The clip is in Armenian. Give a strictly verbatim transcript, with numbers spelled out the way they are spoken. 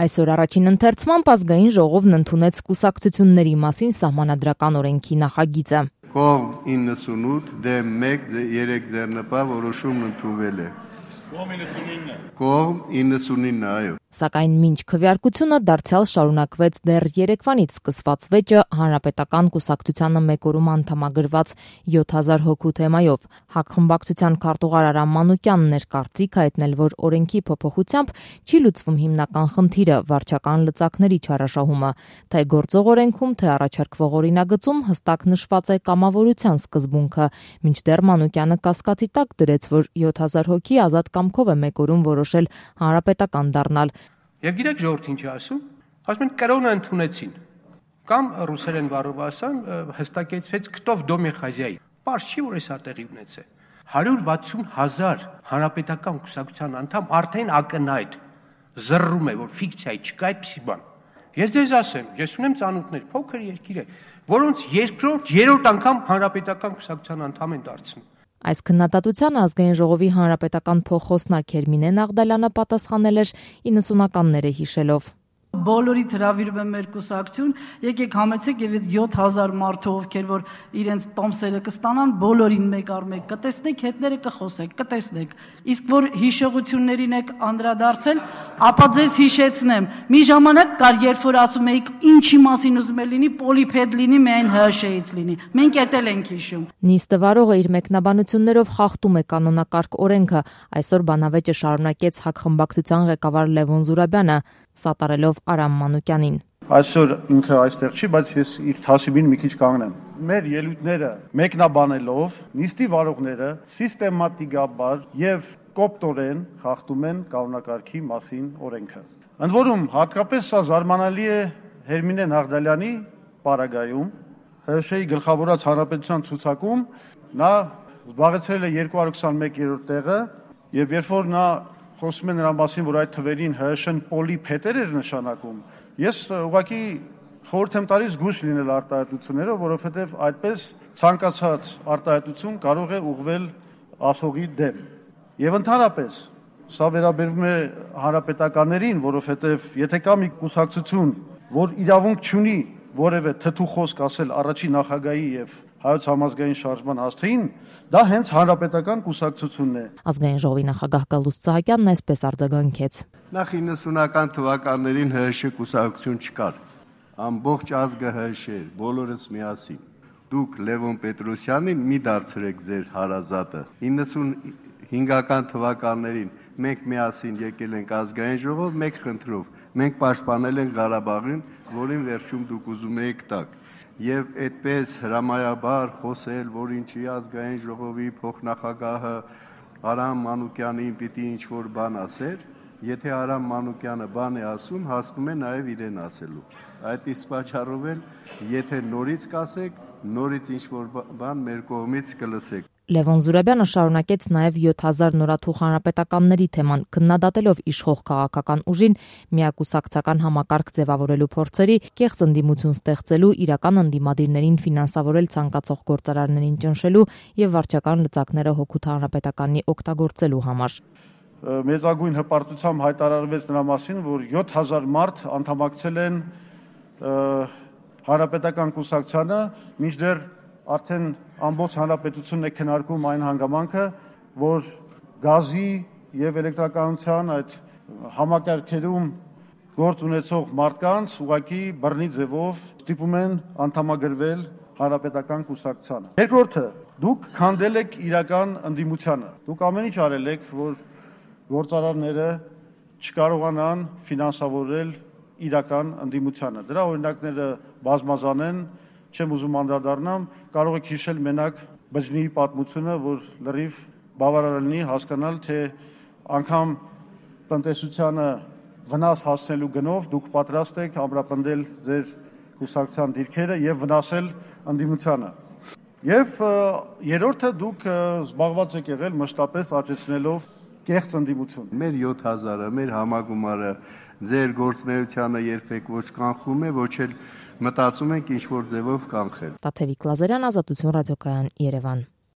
Այսօր առաջին ընթերցմամբ ազգային ժողովն ընդունեց կուսակցությունների մասին սահմանադրական օրենքի նախագիծը։ Կողմ իննսունութ, դեմ մեկ, երեք ձեռնպա որոշումն ընդունվել է։ Կողմ իննսունինը։ Կողմ իննսունինը, այո։ Սակայն մինչ քվեարկությունը դարձյալ շարունակվեց դեռ երեկվանից սկսված վեճը հանրապետական կուսակցությանը մեկ օրում անդամագրված յոթ հազար հոգու թեմայով։ ՀԱԿ խմբակցության քարտուղար Արամ Մանուկյանն էր կարծիք հայտնել, որ օրենքի փոփոխությամբ չի լուծվում հիմնական խնդիրը՝ վարչական լծակների չարաշահումը, թե գործող օրենքում, թե առաջարկվող օրինագծում հստակ նշված է կամավորության սկզբունքը, մինչդեռ Մանուկյանը կասկածի տակ դրեց, որ յոթ հազար հոգի ազատ կամքով է մեկ օրում որոշել հանրապետական դառնալ։ Եվ գիտեք ժողովուրդ ինչ ասում, ասում են կրոնը ընդունեցին, կամ ռուսերեն բառով ասեմ հստակեցվեց քտով դոմի խազյայի, պարզ չի որ էսա տեղի ունեցե, հարյուր վաթսուն հազար հանրապետական կուսակցության անդամ արդեն ակնհայտ զռռում է, որ ֆիկցիա չկա այդպիսի բան։ Ես ձեզ ասեմ, ես ունեմ ծանոթներ, փոքր երկիր է, որոնց երկրորդ, երրորդ անգամ հանրապետական կուսակցության անդամ են դարձնում։ Այս քննադատությանը ազգային ժողովի հանրապետական փոխխոսնակ Հերմինե Նաղդալյանը պատասխանել էր իննսունականները հիշելով։ Բոլորիդ հրավիրում եմ մեր կուսակցություն, եկեք համեցեք եւ այդ յոթ հազար մարդու ովքեր որ իրենց տոմսերը կստանան, բոլորին մեկ առ մեկ կտեսնեք, հետները կխոսեք, կտեսնեք։ Իսկ որ հիշողություններին եք անդրադարձել, ապա ձեզ հիշեցնեմ։ Մի ժամանակ կար, երբ որ ասում էիք ինչի մասին ուզում է լինի, պոլիփեդ լինի, միայն ՀՀՇ-ից լինի։ Մենք էդ էլ ենք հիշում։ Նիստը վարողը իր մեկնաբանություններով խախտում է կանոնակարգ օրենքը։ Այսօր բանավեճը շարունակեց ՀԱԿ խմբակցության ղեկավար Լևոն Զուրաբյանը, սատարելով Արամ Մանուկյանին։ Այսօր ինքը այստեղ չի, բայց ես իր թասիբին մի քիչ կանգնեմ։ Մեր ելույթները մեկնաբանելով նիստի վարողները սիստեմատիկաբար եւ կոպտորեն խախտում են կանոնակարգի մասին օրենքը։ Ընդ որում հատկապես սա զարմանալի է Հերմինե Նաղդալյանի պարագայում, ՀՀՇ-ի գլխավորած հանրապետության ցուցակում նա զբաղեցրել է երկու հարյուր քսանմեկ-րդ տեղը եւ երբ որ նա խոսում է նրան մասին, որ այդ թվերին ՀՀՇ-ն պոլիփետեր էր նշանակում, ես ուղղակի խորհուրդ եմ տալիս զգույշ լինել արտահայտություններով, որովհետև այդպես ցանկացած արտահայտություն կարող է ուղղվել ասողի դեմ։ Եվ ընդհանրապես սա վերաբերվում է հանրապետականներին, որովհետև եթե կա մի կուսակցություն, որ իրավունք չունի որևէ թթու խոսք ասել առաջին նախագահի եւ հայոց համազգային շարժման հասցեին, դա հենց հանրապետական կուսակցությունն է։ Ազգային ժողովի նախագահ Գալուստ Սահակյանն այսպես արձագանքեց։ Նախ իննսունական թվականներին ՀՀՇ կուսակցություն չկար։ Ամբողջ ազգը ՀՀՇ էր, բոլորս միասին։ Դուք Լևոն Պետրոսյանին մի դարձրեք ձեր հարազատը։ իննսունհինգական թվականներին մենք միասին եկել ենք ազգային ժողով մեկ խնդրով։ Մենք պաշտպանել ենք Ղարաբաղին, որին վերջում դուք ուզում եք տակ։ Եվ այդպես հրամայաբար խոսել, որ ինչի ազգային ժողովի փոխնախագահը Արամ Մանուկյանին պիտի ինչ-որ բան ասեր, եթե Արամ Մանուկյանը բան է ասում, հասնում է նաև իրեն ասելու։ Այդ իսկ պատճառով էլ, եթե նորից կասեք, նորից ինչ-որ բան մեր կողմից կլսեք։ Լևոն Զուրաբյանը շարունակեց նաև յոթ հազար նորաթուխ հանրապետականների թեման, քննադատելով իշխող քաղաքական ուժին միակուսակցական համակարգ ձևավորելու փորձերի, կեղծ ընդդիմություն ստեղծելու, իրական ընդդիմադիրներին ֆինանսավորել ցանկացող գործարարներին ճնշելու եւ վարչական լծակները հօգուտ հանրապետականի օգտագործելու համար։ Մեծագույն հպարտությամբ հայտարարվեց նրա մասին, որ յոթ հազար մարդ անդամակցել են հանրապետական կուսակցությանը, մինչդեռ արդեն ամբողջ հանրապետությունն է քննարկում այն հանգամանքը, որ գազի եւ էլեկտրականության այդ համակարգերում գործ ունեցող մարդկանց ուղղակի բռնի ձևով ստիպում են անդամագրվել հանրապետական կուսակցությանը։ Երկրորդը, դուք քանդել եք իրական ընդդիմությանը։ Դուք ամեն ինչ արել եք, որ գործարարները չկարողանան ֆինանսավորել իրական ընդդիմությանը։ Դրա օրինակները բազմազան են, չեմ ուզում անդրադառնամ, կարող եք հիշել մենակ բջնի պատմությունը, որ լրիվ բավարար լինի հասկանալ, թե անգամ տնտեսությանը վնաս հասնելու գնով դուք պատրաստ եք ամրապնդել ձեր կուսակցության դիրքերը եւ վնասել ընդդիմությանը։ Եվ երրորդը դուք զբաղված եք եղել մշտապես աճեցնելով կեղծ ընդդիմություն։ Մեր յոթ հազարը, մեր համագումարը ձեր գործնեությանը երբեք ոչ կանխում է, ոչ էլ մտածում ենք ինչ-որ ձևով կանխել։ Տաթևիկ Լազարյան, Ազատություն ռադիոկայան, Երևան։